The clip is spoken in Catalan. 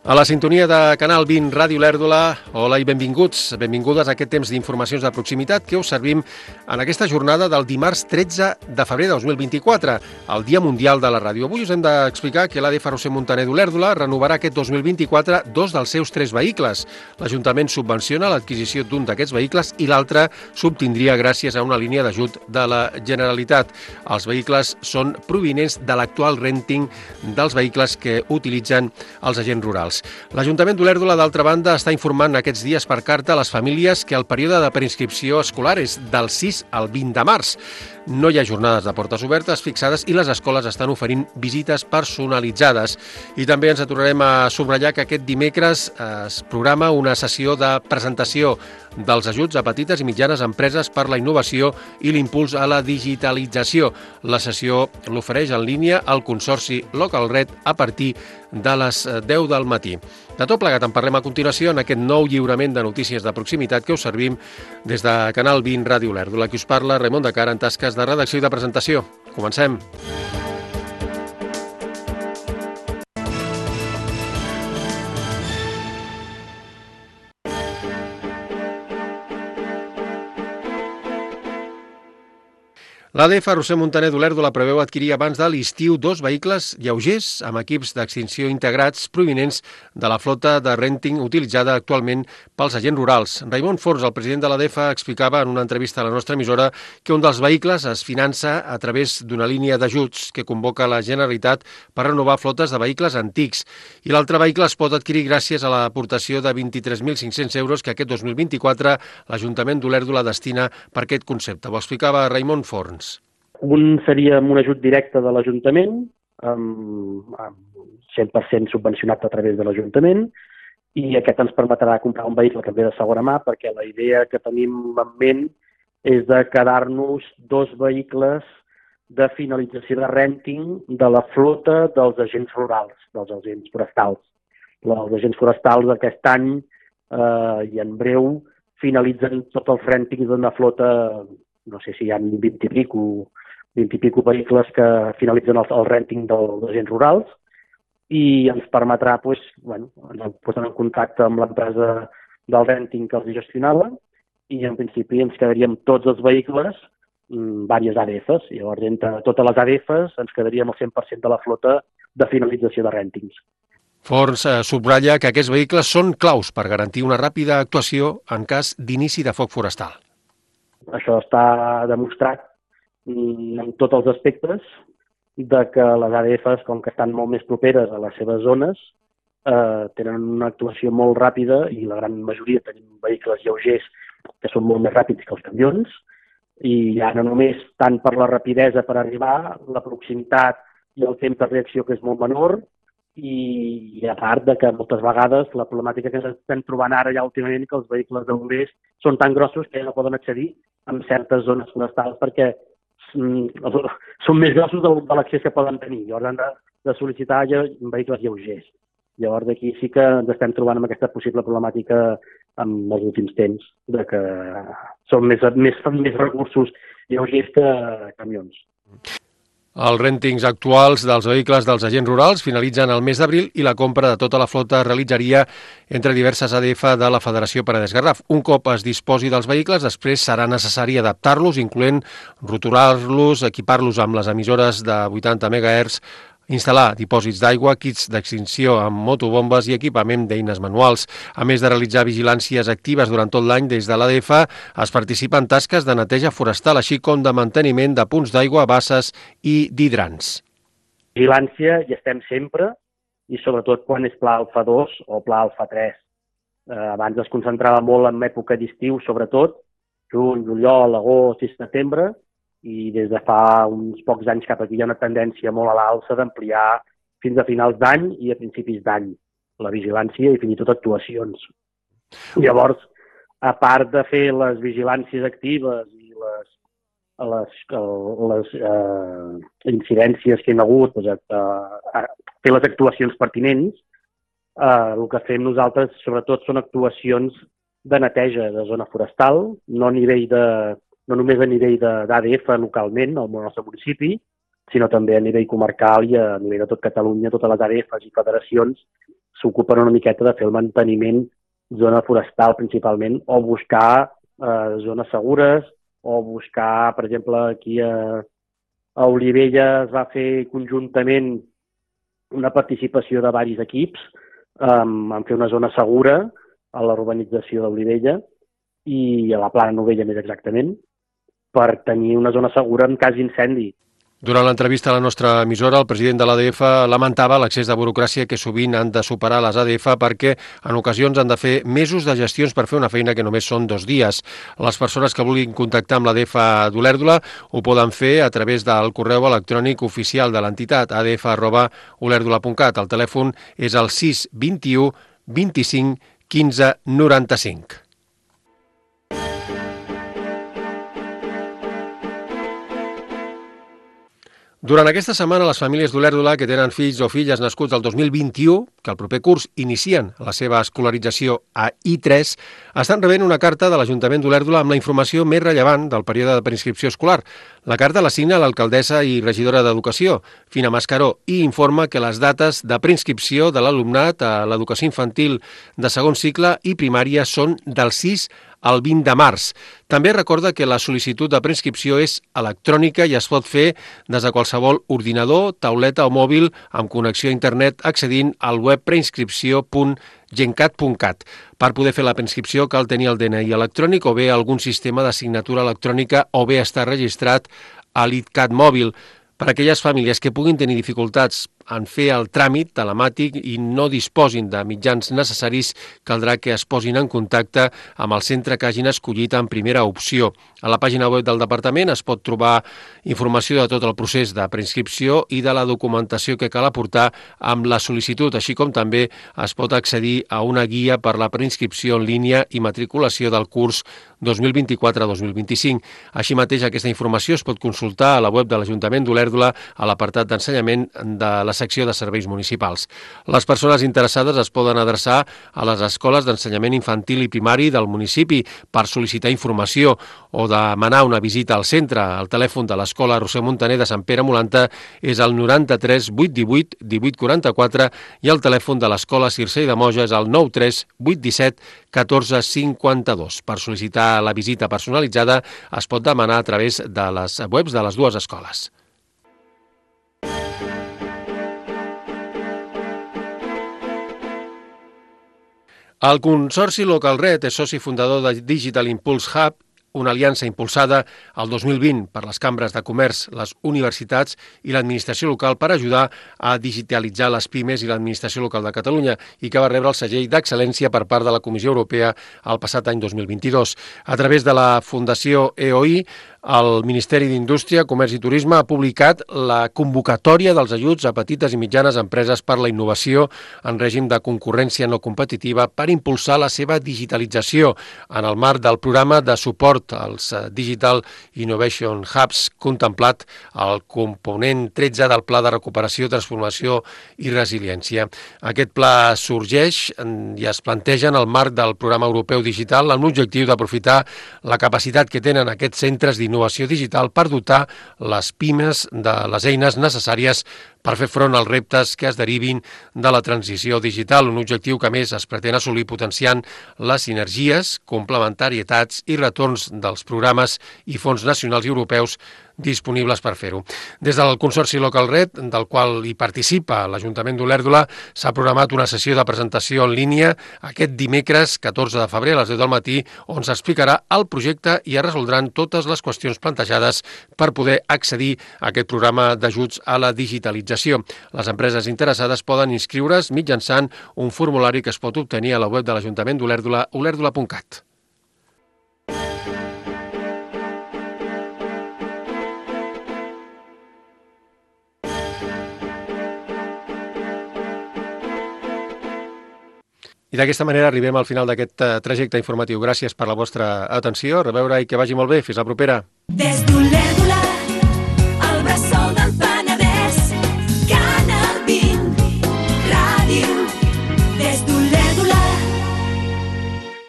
A la sintonia de Canal 20 Ràdio Lèrdula, hola i benvinguts, benvingudes a aquest temps d'informacions de proximitat que us servim en aquesta jornada del dimarts 13 de febrer de 2024, el Dia Mundial de la Ràdio. Avui us hem d'explicar que l'ADF Roser Montaner d'Olèrdola renovarà aquest 2024 dos dels seus 3 vehicles. L'Ajuntament subvenciona l'adquisició d'un d'aquests vehicles i l'altre s'obtindria gràcies a una línia d'ajut de la Generalitat. Els vehicles són provinents de l'actual renting dels vehicles que utilitzen els agents rurals. L'Ajuntament d'Olèrdola, d'altra banda, està informant aquests dies per carta a les famílies que el període de preinscripció escolar és del 6 al 20 de març. No hi ha jornades de portes obertes fixades i les escoles estan oferint visites personalitzades. I també ens tornarem a subratllar que aquest dimecres es programa una sessió de presentació dels ajuts a petites i mitjanes empreses per la innovació i l'impuls a la digitalització. La sessió l'ofereix en línia el Consorci Localred a partir de les 10 del matí. De tot plegat en parlem a continuació en aquest nou lliurament de notícies de proximitat que us servim des de Canal 20 Ràdio Lèrdula. Qui us parla, Raimon de Cara, en tasques de redacció i de presentació. Comencem. L'ADF Roser Montaner d'Olèrdola preveu adquirir abans de l'estiu 2 vehicles lleugers amb equips d'extinció integrats provinents de la flota de renting utilitzada actualment pels agents rurals. Raimon Forns, el president de l'ADF, explicava en una entrevista a la nostra emissora que un dels vehicles es finança a través d'una línia d'ajuts que convoca la Generalitat per renovar flotes de vehicles antics i l'altre vehicle es pot adquirir gràcies a l'aportació de 23.500 euros que aquest 2024 l'Ajuntament d'Olèrdola destina per aquest concepte. Ho explicava Raimon Forns. Un seria amb un ajut directe de l'Ajuntament, amb 100% subvencionat a través de l'Ajuntament, i aquest ens permetrà comprar un vehicle també de segona mà, perquè la idea que tenim en ment és de quedar-nos 2 vehicles de finalització de renting de la flota dels agents rurals, dels agents forestals. Els agents forestals aquest any i en breu finalitzen tots els rèntings d'una flota, no sé si hi ha 20 i pico vehicles que finalitzen el rènting dels agents rurals i ens permetrà posar en contacte amb l'empresa del rènting que els gestionava i en principi ens quedaríem tots els vehicles, diverses ADFs, i llavors entre totes les ADFs ens quedaríem el 100% de la flota de finalització de rèntings. Forns subratlla que aquests vehicles són claus per garantir una ràpida actuació en cas d'inici de foc forestal. Això està demostrat en tots els aspectes de que les ADFs, com que estan molt més properes a les seves zones, tenen una actuació molt ràpida i la gran majoria tenim vehicles lleugers que són molt més ràpids que els camions i ja no només tant per la rapidesa per arribar, la proximitat i el temps de reacció que és molt menor i a part de que moltes vegades la problemàtica que ens estem trobant ara ja últimament que els vehicles de bombers són tan grossos que ja no poden accedir en certes zones forestals perquè són més grossos de l'accés que poden tenir. Llavors han de sol·licitar vehicles lleugers. Llavors d'aquí sí que ens estem trobant amb aquesta possible problemàtica en els últims temps, de que són més recursos lleugers que camions. Els rèntings actuals dels vehicles dels agents rurals finalitzen el mes d'abril i la compra de tota la flota es realitzaria entre diverses ADF de la Federació Penedès-Garraf. Un cop es disposi dels vehicles, després serà necessari adaptar-los, incloent roturar-los, equipar-los amb les emissores de 80 MHz, instal·lar dipòsits d'aigua, kits d'extinció amb motobombes i equipament d'eines manuals. A més de realitzar vigilàncies actives durant tot l'any des de l'ADF, es participa en tasques de neteja forestal, així com de manteniment de punts d'aigua, basses i d'hidrants. Vigilància hi estem sempre i sobretot quan és pla alfa 2 o pla alfa 3. Abans es concentrava molt en època d'estiu, sobretot, juny, juliol, agost i setembre, i des de fa uns pocs anys cap aquí hi ha una tendència molt a l'alça d'ampliar fins a finals d'any i a principis d'any la vigilància i fins i tot actuacions. Llavors, a part de fer les vigilàncies actives i les incidències que hi ha hagut, fer les actuacions pertinents, el que fem nosaltres sobretot són actuacions de neteja de zona forestal, no només a nivell d'ADF localment, al nostre municipi, sinó també a nivell comarcal i a nivell de tot Catalunya, totes les ADFs i federacions s'ocupen una miqueta de fer el manteniment zona forestal principalment, o buscar zones segures, o buscar, per exemple, aquí a Olivella es va fer conjuntament una participació de diversos equips en fer una zona segura a la urbanització d'Olivella i a la Plana Novella més exactament, per tenir una zona segura en cas d'incendi. Durant l'entrevista a la nostra emissora, el president de l'ADF lamentava l'accés de burocràcia que sovint han de superar les ADF perquè en ocasions han de fer mesos de gestions per fer una feina que només són 2 dies. Les persones que vulguin contactar amb l'ADF d'Olèrdola ho poden fer a través del correu electrònic oficial de l'entitat adf@olèrdola.cat. El telèfon és el 621 25 15 95. Durant aquesta setmana, les famílies d'Olèrdola que tenen fills o filles nascuts el 2021, que el proper curs inicien la seva escolarització a I3, estan rebent una carta de l'Ajuntament d'Olèrdola amb la informació més rellevant del període de preinscripció escolar. La carta la signa l'alcaldessa i regidora d'Educació, Fina Mascaró, i informa que les dates de preinscripció de l'alumnat a l'educació infantil de segon cicle i primària són del 6 al 20 de març. També recorda que la sol·licitud de preinscripció és electrònica i es pot fer des de qualsevol ordinador, tauleta o mòbil amb connexió a internet accedint al web preinscripció.gencat.cat. Per poder fer la preinscripció cal tenir el DNI electrònic o bé algun sistema de signatura electrònica o bé estar registrat a l'ITCAT mòbil. Per a aquelles famílies que puguin tenir dificultats en fer el tràmit telemàtic i no disposin de mitjans necessaris, caldrà que es posin en contacte amb el centre que hagin escollit en primera opció. A la pàgina web del Departament es pot trobar informació de tot el procés de preinscripció i de la documentació que cal aportar amb la sol·licitud, així com també es pot accedir a una guia per la preinscripció en línia i matriculació del curs 2024-2025. Així mateix, aquesta informació es pot consultar a la web de l'Ajuntament d'Olèrdola a l'apartat d'ensenyament de la secció de serveis municipals. Les persones interessades es poden adreçar a les escoles d'ensenyament infantil i primari del municipi per sol·licitar informació o demanar una visita al centre. El telèfon de l'escola Roser Montaner de Sant Pere Molanta és el 93 818 1844 i el telèfon de l'escola Circell de Moja és el 93 817 14 52. Per sol·licitar la visita personalitzada es pot demanar a través de les webs de les dues escoles. El Consorci Local Red és soci fundador de Digital Impulse Hub, una aliança impulsada el 2020 per les cambres de comerç, les universitats i l'administració local per ajudar a digitalitzar les pimes i l'administració local de Catalunya i que va rebre el segell d'excel·lència per part de la Comissió Europea el passat any 2022. A través de la Fundació EOI, el Ministeri d'Indústria, Comerç i Turisme ha publicat la convocatòria dels ajuts a petites i mitjanes empreses per la innovació en règim de concurrència no competitiva per impulsar la seva digitalització en el marc del programa de suport als Digital Innovation Hubs contemplat al component 13 del Pla de Recuperació, Transformació i Resiliència. Aquest pla sorgeix i es planteja en el marc del programa europeu digital amb l'objectiu d'aprofitar la capacitat que tenen aquests centres d'innovació digital per dotar les pimes de les eines necessàries per fer front als reptes que es derivin de la transició digital, un objectiu que a més es pretén assolir potenciant les sinergies, complementarietats i retorns dels programes i fons nacionals i europeus disponibles per fer-ho. Des del Consorci Local Red, del qual hi participa l'Ajuntament d'Olèrdola, s'ha programat una sessió de presentació en línia aquest dimecres 14 de febrer a les 10 del matí, on s'explicarà el projecte i es resoldran totes les qüestions plantejades per poder accedir a aquest programa d'ajuts a la digitalització. Les empreses interessades poden inscriure's mitjançant un formulari que es pot obtenir a la web de l'Ajuntament d'Olèrdola, olèrdola.cat. I d'aquesta manera arribem al final d'aquest trajecte informatiu. Gràcies per la vostra atenció, a reveure i que vagi molt bé. Fins la propera.